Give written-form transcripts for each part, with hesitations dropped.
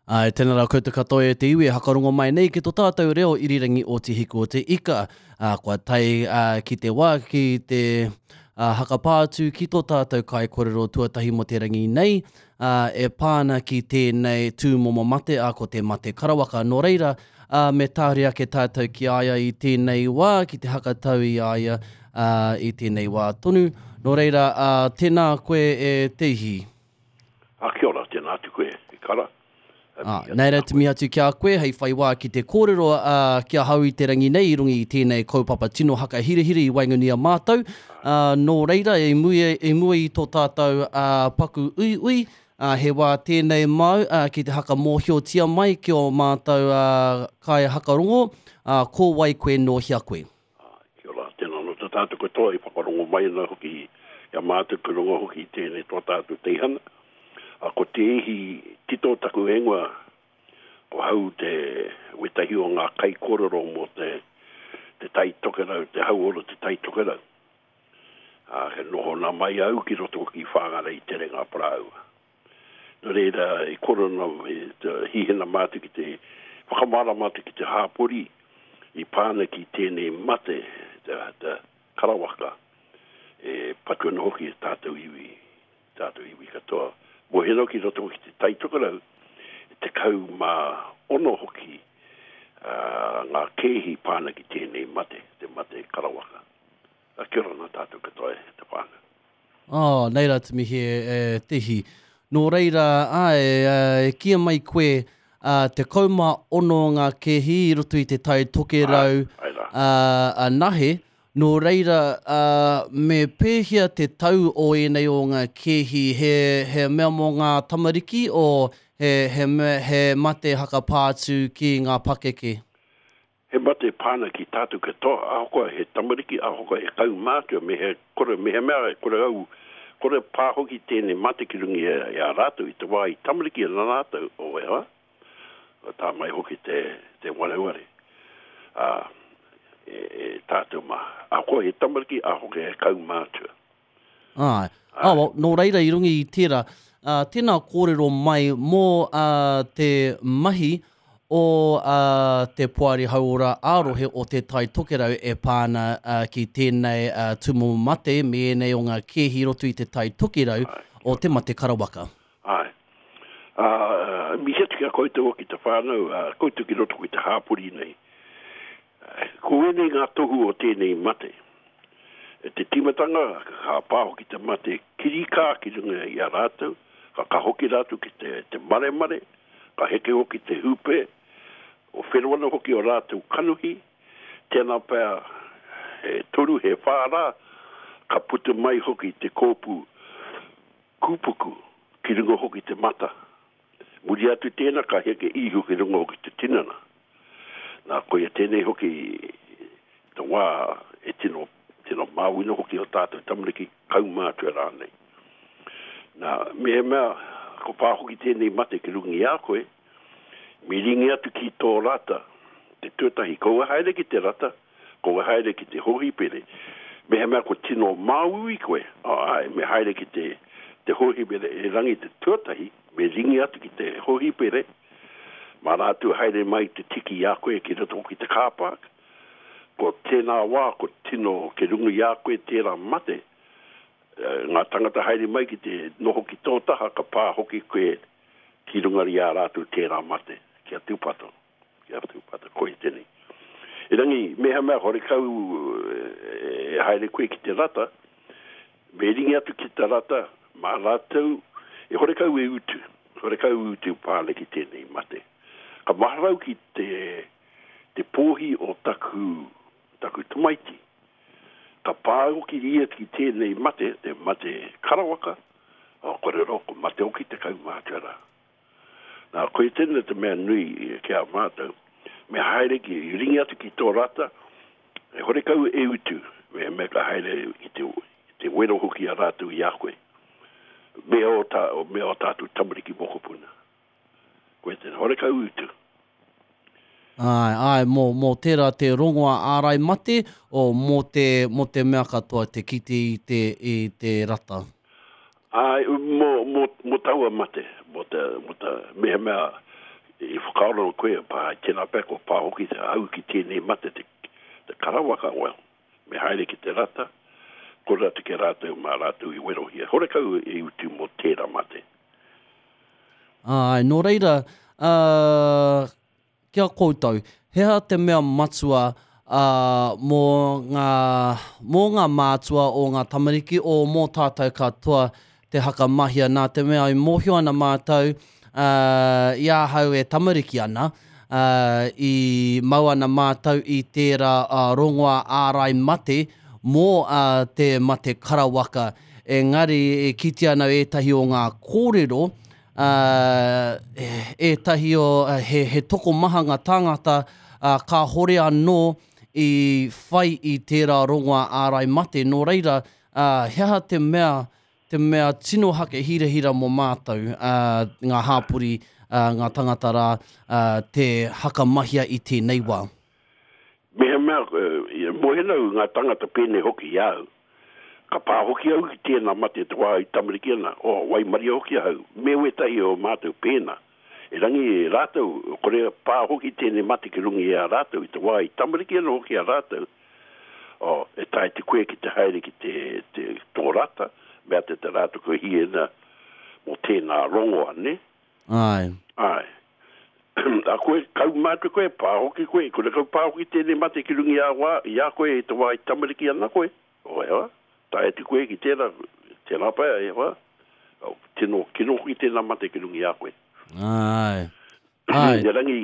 Āe, tēnā rā koutou katoa e te iwi e hakarongo mai nei ki to tātou reo irirangi o Te Hiku o Te Ika. Ā, kua tae ā, ki te wā ki te ā, hakapā atu ki tō tātou kaikorero tuatahi mō te rangi nei, ā, e pā ana ki tēnei tūmomo mate, ā, ko te mate karawaka. Nō reira, ā, me tahuri ake tātou ki a ia i tēnei wā, ki te hakatau i a ia, ā, i tēnei wā tonu. Nō reira, ā, tēnā koe e Te Ihi. Ā, kia ora, tēnā atu koe, e kara. Ā, nei rā te mihi atu ki a koe hei whai wā ki te kōrero ā, ki ahau i te rangi nei i runga i tēnei kaupapa tino hakahirahira i waenganui i a mātou. Ā, nō reira, i mua, i mua i tō tātou ā, paku uiui, ā, he wā tēnei māu ā, ki te hakamōhiotia mai ki ō mātou ā, kaihakarongo, ā, ko wai koe, nō hea koe? Ā, kia ora, tēnā anō tā tātou katoa i whakarongo mai ana hoki i a mātou ki runga hoki i tēnei tō tātou teihana. Ā, ko Te Ihi Tito taku ingoa, ko hau te wētahi o ngā kaikōrero mō te, te Tai Tokerau, te hauora o te Tai Tokerau. Ā, kia noho nā mai au ki roto ki Whāngārei Terenga Parāua. Nō reira, i korona, i hihena mātou ki te whakamārama atu ki te hāpori i pā ana ki tēnei mate, te, te karawaka, e patu ana hoki e tātou iwi, tātou iwi katoa. Mōhio ki roto ki te Tai Tokerau, 16 hoki uh, ngā kēhi pā ana ki tēnei mate, te mate karawaka. Kia ora nā tātou katoa e te whānau. Oh, nei rā te mihi e Te Ihi. Nō reira, āe, e kīia mai koe, 16 ngā kēhi i roto i te Tai Tokerau anahe, nō reira, me pēhea te tau o ēnei o ngā kēhi, he, he mea mō ngā tamariki, o he, he, he mate hakapā atu ki ngā pakeke? He mate pā ana ki tātou katoa, ahakoa he tamariki, ahakoa he kaumātua, me he kore, mehemea e kore au, kore pā hoki tēnei mate ki runga i a rātou i te wā i tamariki ana rātou, oh e hoa, tā mai hoki te, te wareware, ā, e, e tātou mā. Ahakoa he tamariki, ahakoa he kaumātua. Āe. Ā, well, nō reira i runga i tērā, ā, tēnā kōrero mai mō, ā, te mahi o, ā, te Poari Hauora ā-Rohe o Te Tai Tokerau e pā ana, ā, ki tēnei, ā, tūmomo mate me ēnei o ngā kēhi i roto i Te Tai Tokerau o te mate karawaka. Āe. Ā, mihi atu ki a koutou hoki te whānau, ā, koutou ki roto ki te hāpori nei. Ko ēnei ngā tohu o tēnei mate. E te tīmatanga, ka pā hoki te mate kirikā ki runga i a rātou, ka ka hoki rātou ki te, te maremare, ka heke hoki te hūpē, o whero ana hoki o rātou kanohi, tēnā pea he toru, he whā rā, ka puta mai hoki te kōpū kūpuku ki runga hoki te mata. Muri atu tēnā ka heke ihu ki runga hoki te tinana. Nā, koia tēnei hoki te wā e tino, tino māuina hoki o tātou tamariki, kaumātua rānei. Nā, mehemea ko pā hoki tēnei mate ki runga i a koe, me ringi atu ki tō rata, te tuatahi, kaua haere ki te rata, Kua haere ki te hōhipere. Mehemea kua tino māuiui koe, āe, me haere ki te, te hōhipere erangi te tuatahi, me ringi atu ki te hōhipere, mā rātou haere mai te tiki i a koe ki roto ki te car park. Ko tēnā wā ko tino ki runga i a koe tērā mate, ngā tangata haere mai ki te noho ki tō taha ka pā hoki koe ki runga i a rātou tērā mate, kia tūpato. Kia tūpato koe tēnei. Erangi, mehemea horekau e haere koe ki te rata, me ringi atu ki te rata, mā rātou, e horekau e utu, horekau e utu pā ana ki tēnei mate. Ka maharau ki te, te pōhi o taku, taku tamaiti. Ka pā hoki ia ki tēnei mate, te mate karawaka, o kore roa, ko mate hoki te kaumātua rā. Nā, koia tēnei te mea nui ki a mātou, me haere ki, ringi atu ki tō rata, e horekau e utu, me, me ka haere i te, i te wero hoki a rātou i a koe, me ō, tā, me ō tātou tamariki mokopuna. Koia tēnei, horekau utu. Āe, āe, mō, mō tērā te rongoa ārai mate, o, mō te, mō te mea katoa te kite i te, i te rata. Āe, mō, mō, mō taua mate, mō te, mō te, mehemea i whakaaro koe, pā, tēnā pea kua pā hoki te au ki tēnei mate te, te karawaka, well, me haere ki te rata, kore atu ki a rātou mā rātou i werohia. Horekau e utu mō tērā mate. Āe, nō reira, ā, ki a koutou, he aha te mea matua, ā, mō ngā, mō ngā mātua o ngā tamariki, o mō tātou katoa te hakamahia, nā te mea e mōhio ana mātou, ā, i ahau e tamariki ana, ā, i mau ana mātou i tērā rongoā ārai mate mō, ā, te mate karawaka. Engari e kitea ana ētahi o ngā kōrero, ā, ētahi o, he, he tokomaha ngā tāngata, ā, kāhore anō i whai i tērā rongoā ārai mate. Nō reira, ā, he aha te mea, te mea tino hake hirahira mō mātou, ā, ngā hāpori, ā, ngā tangata rā, ā, te hakamahia i tēnei wā? Mehemea, e mōhio au ngā tangata pēnei hoki i a au, Ka pā hoki au ki tēnā mate te wā i tamariki ana, oh, waimaria hoki ahau, me wētahi o mātou pēnā. Erangi e rātou, kore pā hoki tēnei mate ki runga i a rātou i te wā i tamariki ana hoki a rātou, oh, e taea te koe ki te haere ki te, te, tō rata, mea te te rātou kua hiena mō tēnā rongoa, nē? Āe. Āe. A koe, kaumātua koe, pā hoki koe, kore kau pā hoki tēnei mate ki runga i a wā, i a koe i te wā i tamariki ana koe. Oh, e hoa, tae atu koe ki tērā, tērā pea, e hoa, oh, tino kino hoki tēnā mate ki runga i a koe. Āe. Āe. Erangi,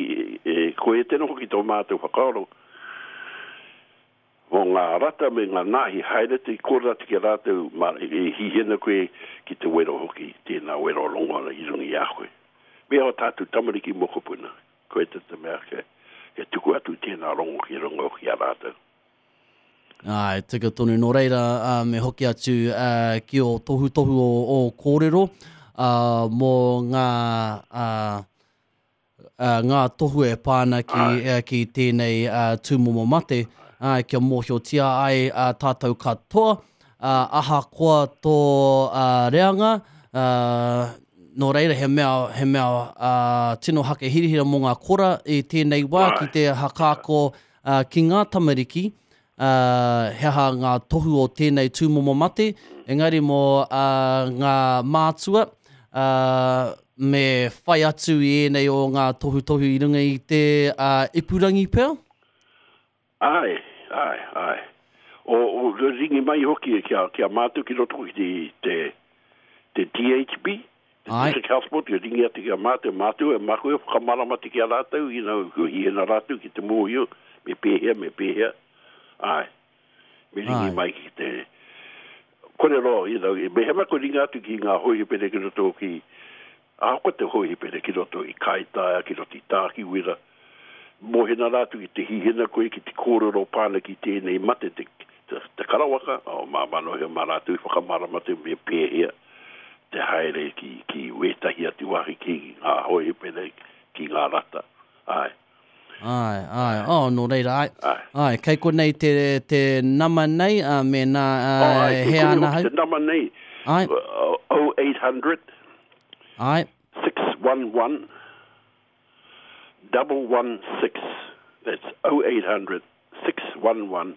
e, koe e tēnā hoki tō mātou whakaaro, Mō ngā rata me ngā nāhi haere atu i kōrero atu ki a rātou, mā, e hihi ana koe ki te wero hoki, tēnā wero rongo ana i runga i a koe. Me ō tātou tamariki mokopuna, koe te te mea kia, kia tuku atu tēnā rongo ki runga hoki i a rātou. Āe, tika tonu. Nō reira, ā, me hoki atu, ā, ki ō tohutohu o ō kōrero, ā, mō ngā, ā, ngā tohu e pā ana ki, ki tēnei tūmomo mate, kia mōhiotia ai tātou katoa, ahakoa tō reanga, nō reira he mea, he mea tino hake hirahira mō ngā kora i tēnei wā ki te hakaako ki ngā tamariki, ā, he aha ngā tohu o tēnei tūmomo mate, engari mō ngā mātua, ā, me whai atu i ēnei o ngā tohutohu i runga i te ipurangi pea? Āe, āe, āe. O, o, ringi mai hoki ki a, ki a mātou ki roto ki te, te, te DHB, te District Health Board, ki ringi atu ki a mātou, mātou e mākou e whakamarama atu ki a rātou, you know, kua hiena rātou ki te mōhio, me pēhea, me pēhea, āe, me ringi mai ki te, kore roa, you know, mehemea kua ringa atu ki ngā hōhipere ki roto ki, ahakoa te hōhipere ki roto i Kaitaia, ki roto i Tākiwira, mōhena rātou ki te hihena koe ki te kōrero pāna ki tēnei mate te, te, te karawaka, o māmā noa mā rātou i whakamārama atu me pēhea te haere ki, ki wētahi atu wāhi ki ngā hōhipere, ki ngā rata. Āe. Āe, āe, oh, nō reira, āe. Āe. Āe, kei konei te, te nama nei, ā, mēnā, ā, Oh, āe, kei he konei ana hoki hau. te nama nei. Āe. 0800 Āe. 611 116. That's 0800 611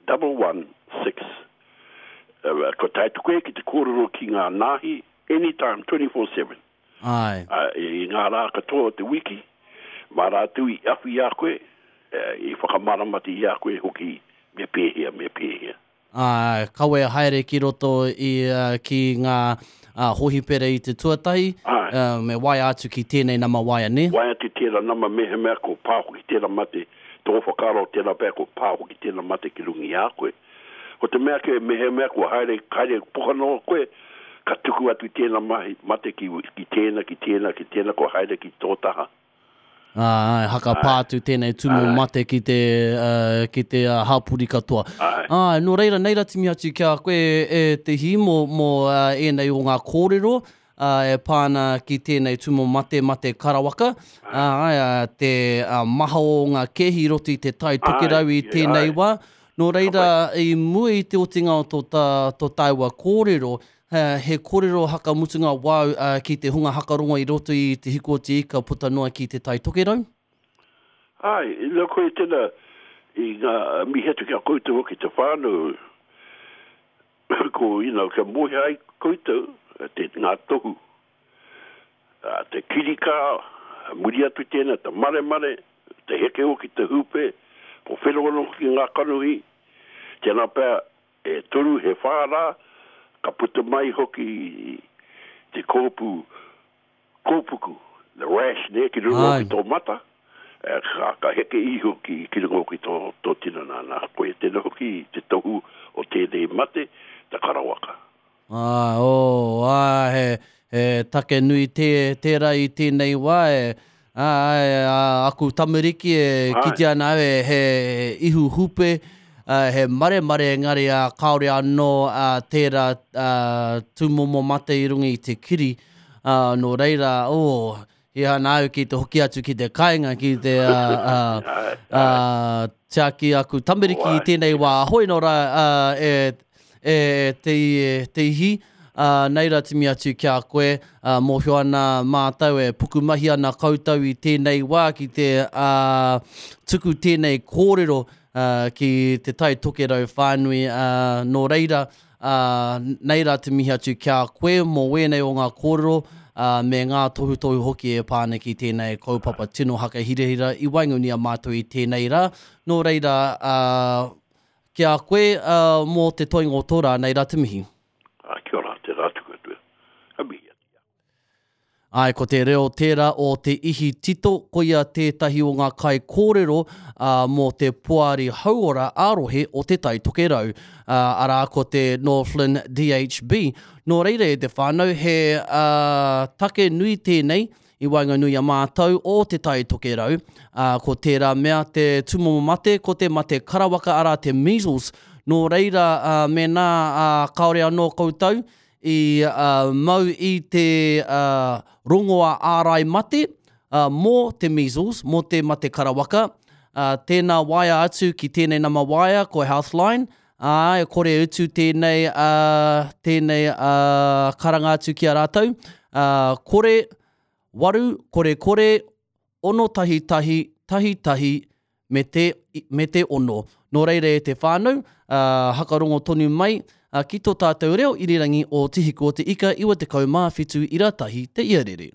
116. Uh, ko tae atu koe ki te kōrero ki ngā nāhi anytime, 24/7. Āe. Uh, i ngā rā katoa o te wiki, mā rātou i awhi i a koe, uh, i whakamāramati i a koe hoki me pēhea, me pēhea. Āe, kawea haere ki roto i, ki ngā hōhipera i te tuatahi, Āe. me waea atu ki tēnei nama waea, nē? Waea atu tērā nama mehemea ko pā hoki tērā mate, tō whakaaro tērā pea ko pā hoki tērā mate ki runga i a koe. Ko te mea kē, mehemea kua haere, haere poka noa koe, ka tuku atu tēnā mahi, mate ki, ki tēnā, ki tēnā, ki tēnā, kua haere ki tō taha. Ā, haka pā atu tēnei tūmomo mate ki te, ki te hapori katoa. Āe, nō reira, nei ra timi atu ki a koe e Te Hī mō, mō ēnei o ngā kōrero e pā ana ki tēnei tūmomo mate, mate karawaka. Āe, te maha o ngā kēhi i roto i te Tai Tokerau i tēnei wā. Nō reira, i mua i te otinga o tō tāua kōrero, he kōrero hakamutunga wāu ki te hunga hakarongo i roto i Te Hiku o Te Ika puta noa ki Te Tai Tokerau? Āe, ina koe tēnā i ngā mihi atu ki a koutou hoki te whānau, ko, you know, kia mōhio ai koutou te, ngā tohu, te kirikā, muri atu tēnā, te maremare, te heke hoki te hūpē, ko whenowheno hoki ngā kanohi, tēnā pea e toru he whā rā, ka puta mai hoki te kōpū kōpuku, the rash, nē, ki runga hoki tō mata, ka, ka heke iho ki, ki runga hoki tō, tō tinana, nā, koia tēnā hoki te tohu o tēnei mate, te karawaka. Āe, oh, āe, he, he take nui tē, tērā i tēnei wā, e, āe, ā, aku tamariki e kite ana au e, he ihu hupe, ā, he maremare engari, ā, kāore anō, ā, tērā, ā, tūmomo mate i runga i te kiri, ā, nō reira, oh, He ana au ki te hoki atu ki te kāinga, ki te tiaki aku tamariki i tēnei wā. Hoi nō rā e, e te, te ihi, nei rā timi atu ki a koe, mōhio ana mātou e pukumahi ana koutou i tēnei wā ki te tuku tēnei kōrero ki Te Tai Tokerau whānui. Nō reira, Ā, nei rā te mihi atu ki a koe mō wēnei o ngā kōrero, ā, me ngā tohutohu hoki e pā ana ki tēnei kaupapa tino hakahirahira i waenganui i a mātou i tēnei rā. Nō reira, ā, ki a koe, ā, mō te toenga o tō rā, nei rā te mihi. Ā, kia ora, tērā atu koutou. Ka mihi atu ki a koe. Āe, ko te reo tērā o Te Ihi Tito, koia tētahi o ngā kaikōrero mō te Poari Hauora ā-Rohe o Te Tai Tokerau, arā, ko te Northland DHB. Nō reira e te whānau, he take nui tēnei i waenganui i a mātou o Te Tai Tokerau, ko tērā mea te tūmomo mate, ko te mate karawaka arā te measles. Nō reira, mēnā kāore anō koutou i mau i te rongoā ārai mate mō te measles, mō te mate karawaka, tēnā waea atu ki tēnei nama waea ko Healthline, ā, e kore e utu tēnei, tēnei karanga atu ki a rātou, kore, waru, kore kore, 6 1 1 1 me te, me te ono. Nō reira e te whānau, ā, hakarongo tonu mai, ā, ki tō tātou reo irirangi o Te Hiku o te Ika 97 ira tahi te iarere.